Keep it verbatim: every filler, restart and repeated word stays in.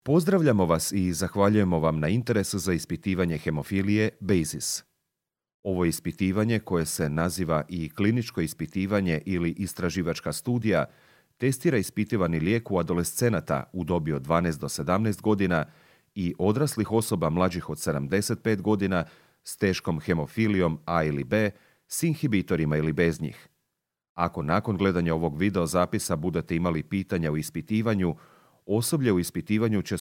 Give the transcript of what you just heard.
Pozdravljamo vas i zahvaljujemo vam na interesu za ispitivanje hemofilije BASIS. Ovo je ispitivanje, koje se naziva i kliničko ispitivanje ili istraživačka studija, testira ispitivani lijek u adolescenata u dobi od dvanaest do sedamnaest godina i odraslih osoba mlađih od sedamdeset pet godina s teškom hemofilijom A ili B, s inhibitorima ili bez njih. Ako nakon gledanja ovog video zapisa budete imali pitanja u ispitivanju, osoblje u ispitivanju će